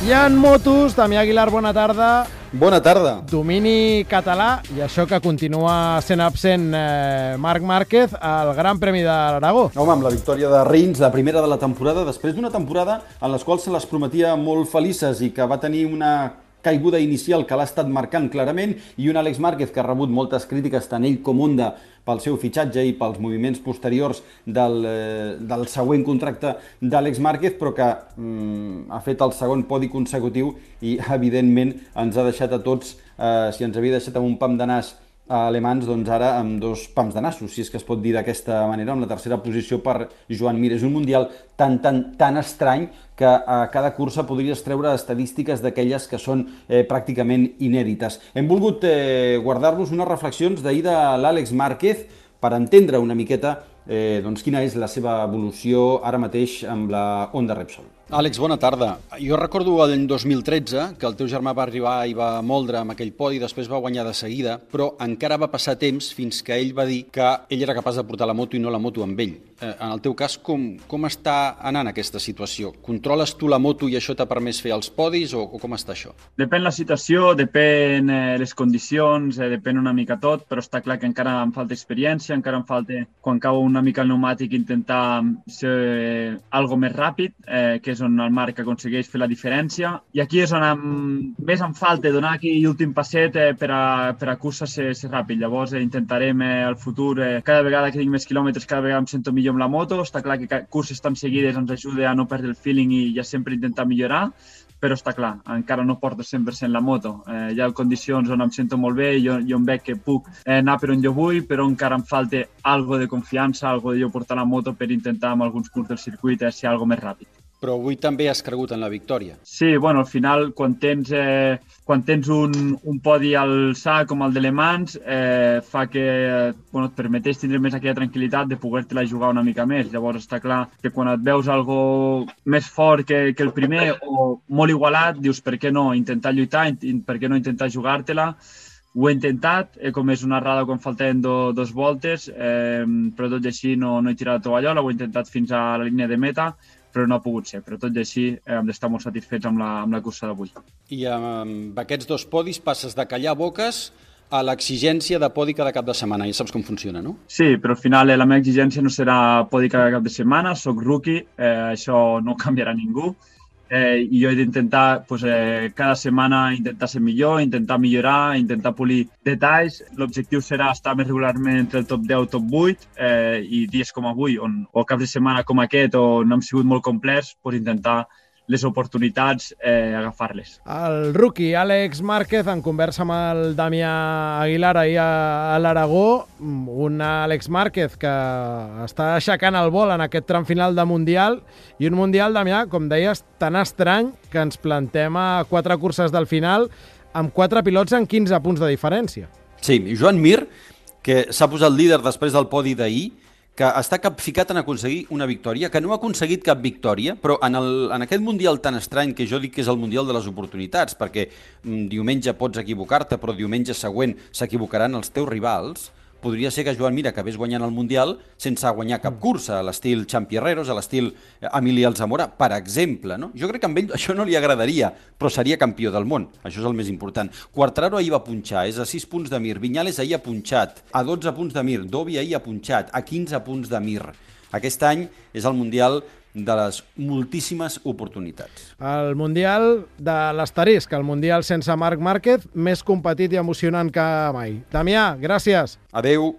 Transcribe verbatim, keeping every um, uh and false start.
I en motos, Damià Aguilar, bona tarda. Bona tarda. Domini català, i això que continua sent absent eh, Marc Márquez al Gran Premi de l'Aragó. Home, amb la victòria de Rins, la primera de la temporada, després d'una temporada en les quals se les prometia molt felices i que va tenir una caiguda inicial que l'ha estat marcant clarament, i un Àlex Márquez que ha rebut moltes crítiques, tant ell com Honda, pel seu fitxatge i pels moviments posteriors del, eh, del següent contracte d'Àlex Márquez, però que mm, ha fet el segon podi consecutiu i, evidentment, ens ha deixat a tots, eh, si ens havia deixat amb un pam de nas a alemans, doncs ara amb dos pams de nassos, si és que es pot dir d'aquesta manera, amb la tercera posició per Joan Mir. És un mundial tan, tan, tan estrany que a cada cursa podries treure estadístiques d'aquelles que són eh, pràcticament inèdites. Hem volgut eh, guardar-nos unes reflexions d'ahir de l'Àlex Márquez per entendre una miqueta eh, doncs, quina és la seva evolució ara mateix amb la Honda Repsol. Àlex, bona tarda. Jo recordo l'any dos mil tretze que el teu germà va arribar i va moldre amb aquell podi, després va guanyar de seguida, però encara va passar temps fins que ell va dir que ell era capaç de portar la moto i no la moto amb ell. Eh, en el teu cas, com, com està anant aquesta situació? Controles tu la moto i això t'ha permès fer els podis o, o com està això? Depèn la situació, depèn eh, les condicions, eh, depèn una mica tot, però està clar que encara em falta experiència, encara em falta, quan cau una mica el pneumàtic, intentar ser eh, algo més ràpid, eh, que és on el Marc aconsegueix fer la diferència. I aquí és on em, més em falta donar aquí l'últim passet eh, per, a, per a cursa ser, ser ràpid. Llavors eh, intentarem eh, al futur, eh, cada vegada que tinc més quilòmetres, cada vegada em sento millor amb la moto. Està clar que curses tan seguides ens ajuda a no perdre el feeling i ja sempre intentar millorar, però està clar, encara no porto cent per cent la moto. Eh, hi ha condicions on em sento molt bé, jo, jo em veig que puc eh, anar per on jo vull, però encara em falta algo de confiança, algo de jo portar la moto per intentar amb alguns punts del circuit eh, ser algo més ràpid. Però avui també has cregut en la victòria. Sí, bueno, al final, quan tens, eh, quan tens un, un podi al sac com el de Le Mans, eh, fa que bueno, et permeteix tindre més aquella tranquil·litat de poder-te-la jugar una mica més. Llavors està clar que quan et veus algo més fort que, que el primer o molt igualat, dius per què no intentar lluitar, per què no intentar jugar-te-la. Ho he intentat, he comès una errada quan faltaven do, dos voltes, eh, però tot i així no, no he tirat la tovallola, ho he intentat fins a la línia de meta, però no ha pogut ser. Però tot i així eh, hem d'estar molt satisfets amb la, amb la cursa d'avui. I amb aquests dos podis passes de callar boques a l'exigència de podi cada cap de setmana. Ja saps com funciona, no? Sí, però al final eh, la meva exigència no serà podi cada cap de setmana, soc rookie, eh, això no canviarà ningú. Eh, i jo he d'intentar pues, eh, cada setmana intentar ser millor, intentar millorar, intentar polir detalls. L'objectiu serà estar més regularment entre el top deu i top vuit eh, i dies com avui, on, o caps de setmana com aquest, on no hem sigut molt complets, pues, intentar les oportunitats, eh, agafar-les. El rookie Àlex Márquez, en conversa amb el Damià Aguilar ahir a, a l'Aragó, un Àlex Márquez que està aixecant el vol en aquest tram final de Mundial, i un Mundial, Damià, com deies, tan estrany que ens plantem a quatre curses del final amb quatre pilots en quinze punts de diferència. Sí, Joan Mir, que s'ha posat líder després del podi d'ahir, que està capficat en aconseguir una victòria, que no ha aconseguit cap victòria, però en, el, en aquest Mundial tan estrany que jo dic que és el Mundial de les oportunitats, perquè mm, diumenge pots equivocar-te, però diumenge següent s'equivocaran els teus rivals, podria ser que Joan Mir acabés guanyant el Mundial sense guanyar cap cursa, a l'estil Champierreros, a l'estil Emili Alzamora, per exemple. No? Jo crec que amb ell això no li agradaria, però seria campió del món. Això és el més important. Quartararo ahir va punxar, és a sis punts de Mir. Viñales ahir ha punxat, a dotze punts de Mir. Dovi ahir ha punxat, a quinze punts de Mir. Aquest any és el Mundial de les moltíssimes oportunitats. El Mundial de l'asterisc, el Mundial sense Marc Márquez, més competit i emocionant que mai. Damià, gràcies. Adeu.